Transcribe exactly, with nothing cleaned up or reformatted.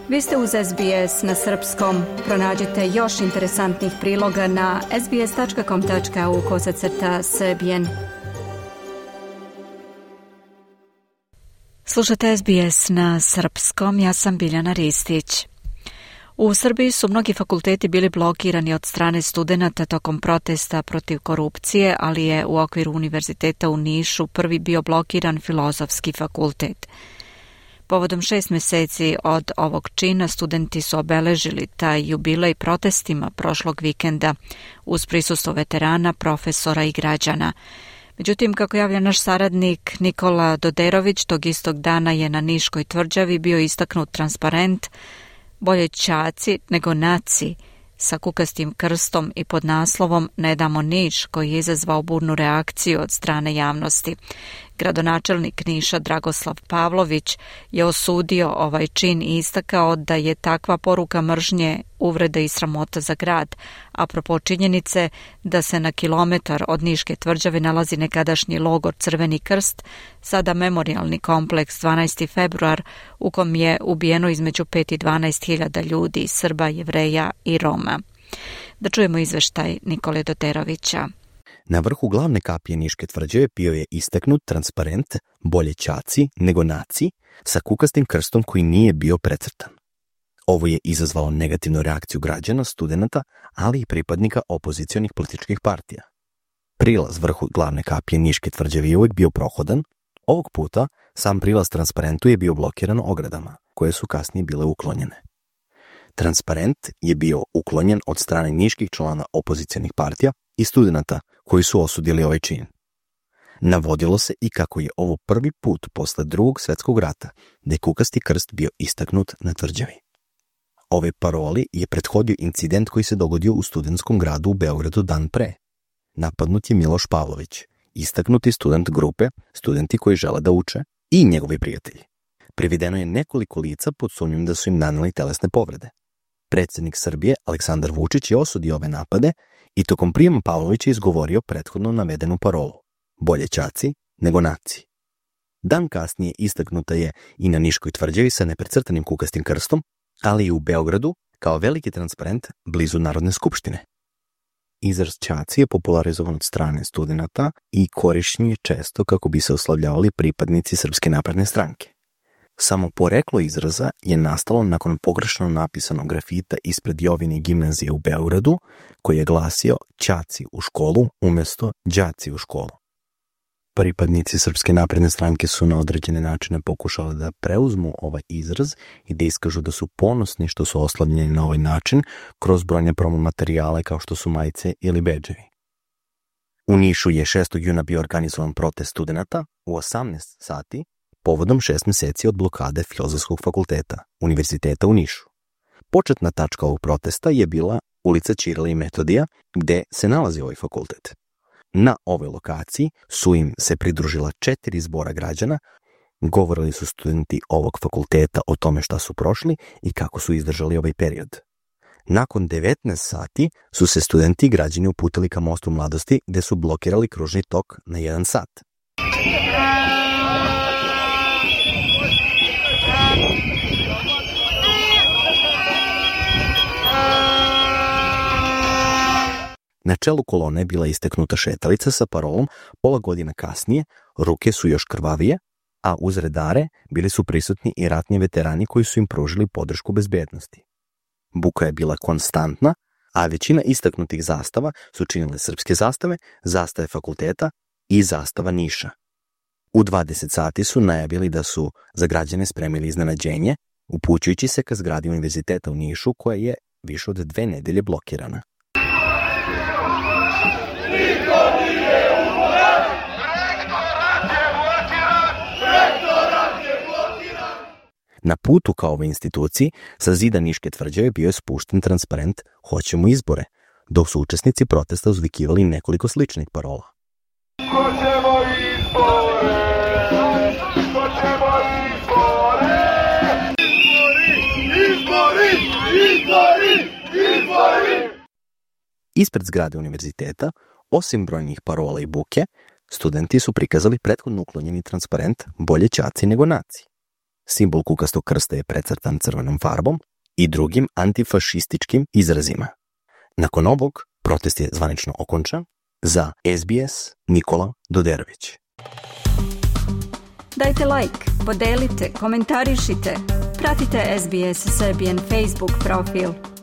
Vi ste uz S B S na srpskom. Pronađite još interesantnih priloga na sbs.com.au kosacrta srbijen. Slušate S B S na srpskom, ja sam Biljana Ristić. U Srbiji su mnogi fakulteti bili blokirani od strane studenata tokom protesta protiv korupcije, ali je u okviru Univerziteta u Nišu prvi bio blokiran Filozofski fakultet. Povodom šest meseci od ovog čina studenti su obeležili taj jubilej protestima prošlog vikenda uz prisustvo veterana, profesora i građana. Međutim, kako javlja naš saradnik Nikola Doderović, tog istog dana je na Niškoj tvrđavi bio istaknut transparent "Bolje ćaci nego naci" sa kukastim krstom i pod naslovom "Ne damo Niš", koji je izazvao burnu reakciju od strane javnosti. Gradonačelnik Niša Dragoslav Pavlović je osudio ovaj čin i istakao da je takva poruka mržnje, uvreda i sramota za grad, apropo činjenice da se na kilometar od Niške tvrđave nalazi nekadašnji logor Crveni krst, sada memorijalni kompleks dvanaesti februar, u kom je ubijeno između pet i dvanaest hiljada ljudi, Srba, Jevreja i Roma. Da čujemo izveštaj Nikole Doderovića. Na vrhu glavne kapije Niške tvrđave bio je istaknut transparent "Bolje ćaci nego naci" sa kukastim krstom koji nije bio precrtan. Ovo je izazvalo negativnu reakciju građana, studenata, ali i pripadnika opozicionih političkih partija. Prilaz vrhu glavne kapije Niške tvrđave je uvijek bio prohodan. Ovog puta sam prilaz transparentu je bio blokiran ogradama, koje su kasnije bile uklonjene. Transparent je bio uklonjen od strane niških člana opozicionih partija i studenata koji su osudili ovaj čin. Navodilo se i kako je ovo prvi put posle drugog svjetskog rata da je kukasti krst bio istaknut na tvrđavi. Ove paroli je prethodio incident koji se dogodio u studentskom gradu u Beogradu dan pre. Napadnut je Miloš Pavlović, istaknuti student grupe Studenti koji žele da uče i njegovi prijatelji. Privedeno je nekoliko lica pod sumnjom da su im naneli telesne povrede. Predsjednik Srbije Aleksandar Vučić je osudio ove napade i tokom prijema Pavlović je izgovorio prethodno navedenu parolu "Bolje ćaci nego naci". Dan kasnije istaknuta je i na Niškoj tvrđavi sa neprecrtanim kukastim krstom, ali i u Beogradu kao veliki transparent blizu Narodne skupštine. Izraz ćaci je popularizovan od strane studenata i korišćen je često kako bi se oslavljavali pripadnici Srpske napredne stranke. Samo poreklo izraza je nastalo nakon pogrešno napisanog grafita ispred Jovine gimnazije u Beogradu, koji je glasio "Ćaci u školu" umjesto "đaci u školu". Pripadnici Srpske napredne stranke su na određene načine pokušali da preuzmu ovaj izraz i da iskažu da su ponosni što su oslavljeni na ovaj način kroz brojne promo materijale kao što su majice ili bedževi. U Nišu je šestog juna bio organizovan protest studenata u osamnaest sati povodom šest meseci od blokade Filozofskog fakulteta Univerziteta u Nišu. Početna tačka ovog protesta je bila ulica Ćirila i Metodija, gde se nalazi ovaj fakultet. Na ovoj lokaciji su im se pridružila četiri zbora građana, govorili su studenti ovog fakulteta o tome šta su prošli i kako su izdržali ovaj period. Nakon devetnaest sati su se studenti i građani uputili ka Mostu mladosti, gde su blokirali kružni tok na jedan sat. Na čelu kolone je bila isteknuta šetalica sa parolom "Pola godina kasnije, ruke su još krvavije", a uz redare bili su prisutni i ratni veterani koji su im pružili podršku bezbednosti. Buka je bila konstantna, a većina istaknutih zastava su činile srpske zastave, zastave fakulteta i zastava Niša. U dvadeset sati su najavili da su za građane spremili iznenađenje, upućujući se ka zgradi Univerziteta u Nišu, koja je više od dve nedelje blokirana. Na putu ka ovoj instituciji sa zida Niške tvrđave bio je spušten transparent "Hoćemo izbore", dok su učesnici protesta uzvikivali nekoliko sličnih parola. Hoćemo izbore! Hoćemo izbore! Izbori! Izbori! Izbori! Izbori! Ispred zgrade univerziteta, osim brojnih parola i buke, studenti su prikazali prethodno uklonjeni transparent "Bolje ćaci nego naci". simbol kukastog krsta je precrtan crvenom farbom, i drugim antifašističkim izrazima. Nakon ovog, protest je zvanično okončan. Za S B S, Nikola Doderović. Dajte like, podelite, komentarišite, pratite S B S Serbian Facebook profil.